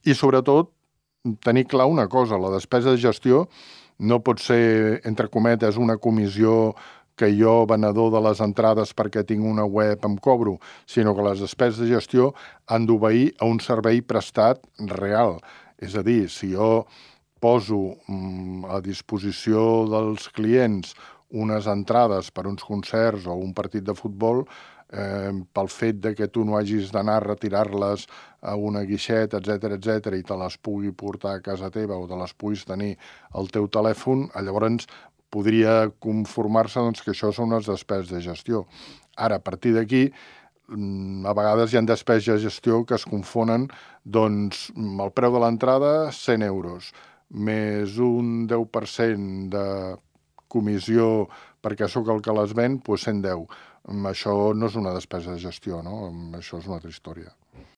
I sobretot tenir clar una cosa, la despesa de gestió no pot ser, entre cometes, una comissió que jo, venedor de les entrades perquè tinc una web, em cobro, sinó que les despeses de gestió han d'obeir a un servei prestat real. És a dir, si jo poso a disposició dels clients unes entrades per uns concerts o un partit de futbol, pel fet de que tu no hagis d'anar a retirar-les a una guixeta, etc, i te les pugui portar a casa teva o te les puguis tenir al teu telèfon, llavors podria conformar-se que això són unes despeses de gestió. Ara, a partir d'aquí, a vegades hi ha despeses de gestió que es confonen, doncs el preu de l'entrada, 100 euros, més un 10% de comissió perquè sóc el que les ven, doncs 110. Això no és una despesa de gestió, no? Això és una altra història.